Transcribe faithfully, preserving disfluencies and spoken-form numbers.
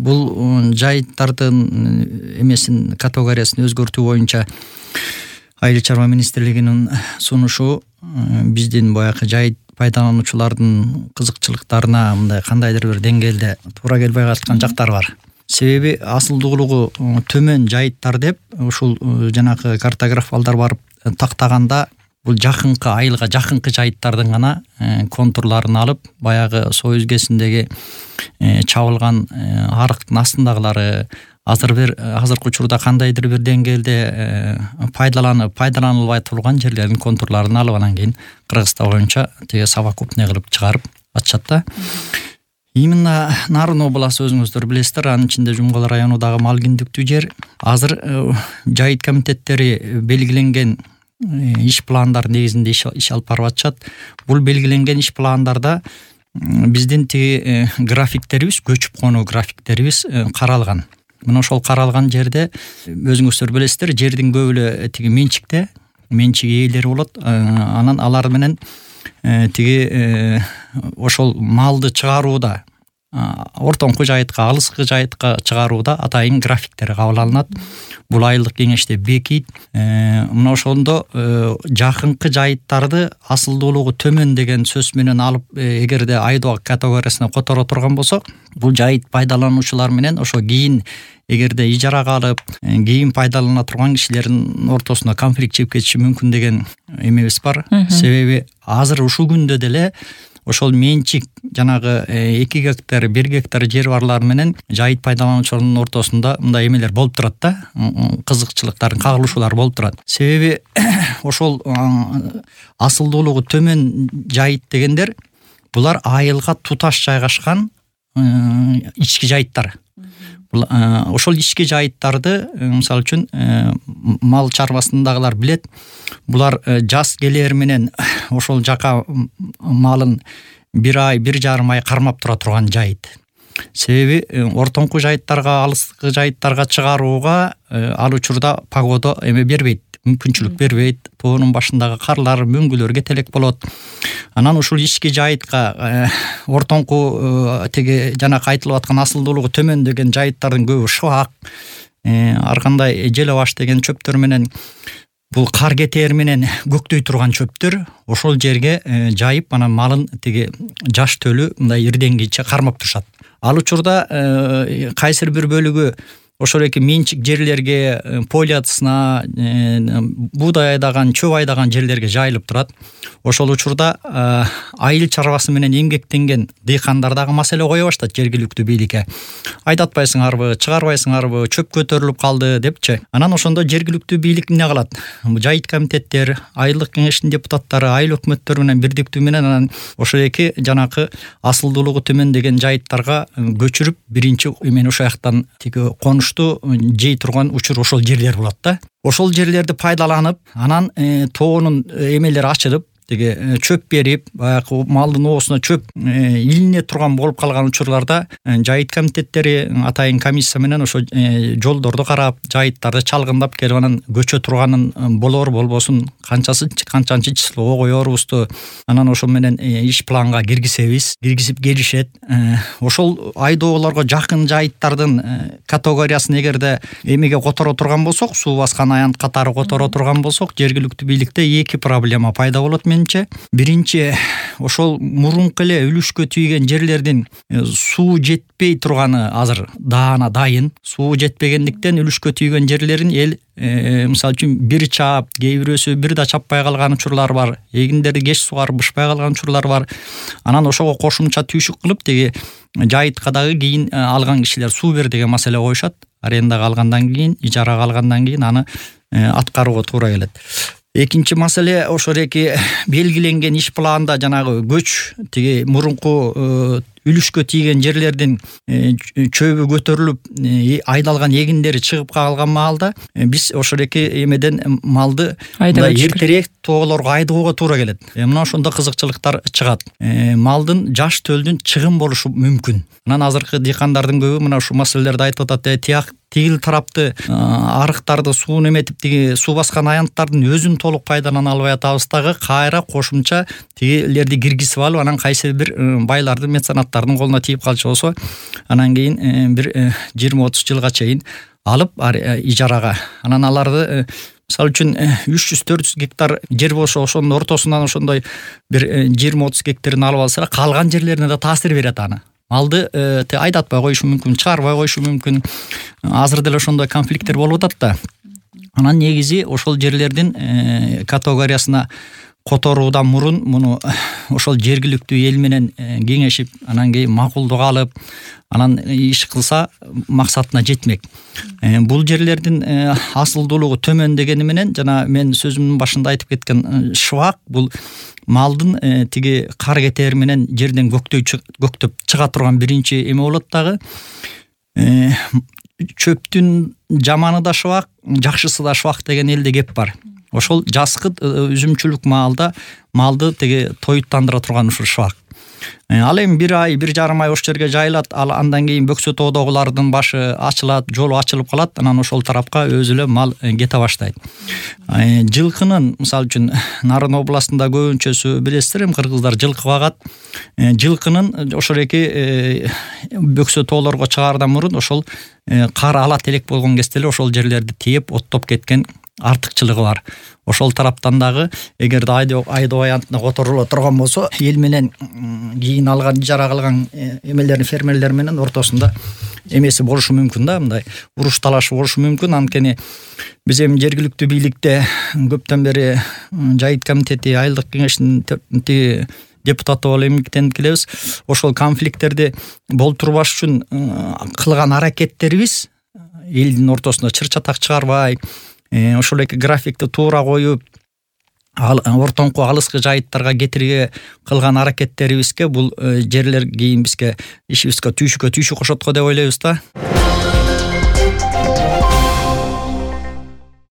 бул жайыттардын эмесин категориясын өзгөртүү боюнча Айыл чарба министрлигинин сунушу биздин баягы жайыт пайдалануучулардын кызыкчылыктарына мындай кандайдыр бир деңгээлде туура келбей калышкан жактар бар. Себеби асылдуулугу төмөн жайыттар деп ушул жанагы картограф балдар барып тактаганда бул жакынкы айылга жакынкы жайыттардын гана контурларын алып, баягы Соо өзгесиндеги чабылган арыктын астындагылары азыр бир азыркы учурда кандайдыр бир деңгээлде пайдаланып пайдаланылбай турган жерлердин контурларын алып, анан кийин Кыргызстан боюнча тиги совокупный кылып чыгарып атышат да. Именно Нарын областы өзүңүздөр билесиздер, анын ичинде Жумгал району дагы мал киндиктүү жер. Азыр жайыт комитеттери белгиленген иш пландар негизинде иш алып барып атышат. Бул белгиленген иш пландарда биздин тиги графиктерибиз, көчүп конуу графиктерибиз каралган. Мына ошол каралган жерде өзүңүздөр билесиздер, жердин көбү эле тиги менчикте, менчик ээлери болот. Анан алар менен тиги ошол малды чыгарууда, ортоңку жайытка, алыскы жайытка чыгарууда атайын графиктер кабыл алынат. Бул айылдык кеңеште бекийт. Мына ошондо жакынкы жайыттарды асылдуулугу төмөн деген сөз менен алып, эгерде айдоо категориясына которо турган болсок, бул жайыт пайдалануучулар менен ошо кийин эгерде ижарага алып, кийин пайдалана турган кишилердин ортосуна конфликт чыгып кетиши мүмкүн деген эмебиз бар. Себеби азыр ушул күндө деле ошол менчик жанагы эки гектар, бир гектар жер барлар менен жайыт пайдалануучулардын ортосунда мындай эмелер болуп турат да, кызыкчылыктар, кагылышуулар болуп турат. Себеби ошол асылдуулугу төмөн жайыт дегендер булар айылга туташ жайгашкан ички жайыттар. Ошол ички жайыттарды, мисалы үчүн, мал чарбасындагылар билет. Булар жаз келээр менен ошол жака малын бир ай, бир жарым ай кармап тура турган жайыт. Себеби ортоңку жайыттарга, алыскы жайыттарга чыгарууга ал учурда погода эме бербейт, мүмкүнчүлүк бербейт. Тоонун башындагы карлар, мөңгүлөр кетелек болот. Анан ушул ички жайытка ортоңку тиги жанакы айтылып аткан асылдуулугу төмөн деген жайыттардын көбү шыбак, ар кандай желе баш деген чөптөр менен, бул кар кетээр менен көктөй турган чөптөр ошол жерге жайып, анан малын тиги жаш төлү мындай ирденгиче кармап турушат. Ал учурда кайсыр бир бөлүгү ошол эки менчик жерлерге, поле атысына, буудай айдаган, чөп айдаган жерлерге жайылып турат. Ошол учурда айыл чарбасы менен эмгектенген дыйкандар дагы маселе кое баштайт жергиликтүү бийликке. Айдатпайсыңарбы, чыгарбайсыңарбы, чөп көтөрүлүп калды депчи. Анан ошондо жергиликтүү бийлик эмне кылат? Жайыт комитеттер, айылдык кеңештин депутаттары, айыл өкмөттөр менен бирдиктүү менен анан ошол эки жанакы асылдуулугу төмөн деген жайыттарга көчүрүп, биринчи эмени ошол жактан тиги конушту жей турган учур ошол жерлер болот да. Ошол жерлерди пайдаланып, анан тоонун эмелери ачылып, тиги чөп берип, баягы малдын оосуна чөп илине турган болуп калган учурларда жайыт комитеттери атайын комиссия менен ошо жолдорду карап, жайыттарды чалгындап келип анан көчө турганын болор болбосун канчасы канчанчы числого коербузду анан ошол менен иш планга киргизебиз, киргизип келишет. Ошол айдоолорго жакын жайыттардын категориясын эгерде эмеге которо турган болсок, суу баскан аянт катары которо турган болсок, жергиликтүү бийликте эки проблема пайда болот. Биринчи, ошол мурунку эле үлүшкө тийген жерлердин суу жетпей турганы азыр даана дайын. Суу жетпегендиктен үлүшкө тийген жерлерин эл мисалы үчүн бир чаап, кээ бирөөсү бир да чаппай калган учурлар бар. Эгиндерди кеч сугарып бышпай калган учурлар бар. Анан ошого кошумча түйшүк кылып, тиги жайытка дагы кийин алган кишилер суу бер деген маселе коюшат. Арендага алгандан кийин, ижарага алгандан кийин аны аткарууга туура келет. Экинчи маселе, ошол эки белгиленген иш планда жанагы көч, тиги мурунку үлүшкө тийген жерлердин чөбү көтөрүлүп, айдалган эгиндери чыгып калган маалда биз ошол эки эмеден малды эртерээк тоолорго айдоого туура келет. Мына ошондо кызыкчылыктар чыгат. Малдын жаш төлдүн чыгым болушу мүмкүн. Анан азыркы дыйкандардын көбү мына ушул маселелерди айтып атат. Тияк тигил тарапты арыктарды сууну эметип тиги суу баскан аянттардын өзүн толук пайдалана албай атабыз дагы кайра кошумча тигилерди киргизип алып анан кайсы бир байлардын меценаттардын колуна тийип калчу болсо анан кийин бир жыйырма отуз жылга чейин алып ижарага анан аларды мисалы үчүн үч жүз төрт жүз гектар жер болсо ошонун ортосунан ошондой бир жыйырма отуз гектарин алып алса калган жерлерине да таасир берет аны. Малды айдатпай коюшу мүмкүн, чыгарбай коюшу мүмкүн. Азыр деле ошондой конфликттер болуп атат да. Анан негизи ошол жерлердин категориясына которуудан мурун муну ошол жергиликтүү эл менен кеңешип, анан кийин макулдук алып, анан иш кылса максатына жетмек. Бул жерлердин асылдуулугу төмөн дегени менен жана мен сөзүмдүн башында айтып кеткен шыбак бул малдын тиги кар кетери менен жерден көктөй көктөп чыга турган биринчи эме болот дагы. Чөптүн жаманы да шыбак, жакшысы да шыбак деген элде кеп бар. Ошол жазкы үзүмчүлүк маалда малды тиги тоюттандыра турган ушул шыбак. Ал эми бир ай, бир жарым ай ошол жерге жайылат, ал андан кийин бөксө тоодогулардын башы ачылат, жолу ачылып калат, анан ошол тарапка өзү эле мал кете баштайт. Жылкынын, мисалы үчүн, Нарын областында көбүнчөсү билесиздер, эми кыргыздар жылкы багат. Жылкынын ошол эки бөксө тоолорго чыгаардан мурун ошол кар алат элек болгон кезде эле ошол жерлерди тээп, оттоп кеткен артыкчылыгы бар. Ошол тараптан дагы эгерде айдоо аянтына которула турган болсо, эл менен кийин алган ижара кылган эмелердин фермерлер менен ортосунда эмеси болушу мүмкүн да, мындай уруш талашы болушу мүмкүн. Анткени биз эми жергиликтүү бийликте көптөн бери Жайыт комитети, айылдык кеңештин депутаты болуп эмгектенип келебиз. Ошол конфликттерди болтурбаш үчүн кылган аракеттерибиз элдин ортосунда чыр-чатак чыгарбай, ошол эки графикти туура коюп, ортоңку алыскы жайыттарга кетирге кылган аракеттерибизге бул жерлер кийин бизге ишибизге түйшүккө түйшүк кошот го деп ойлойбуз да.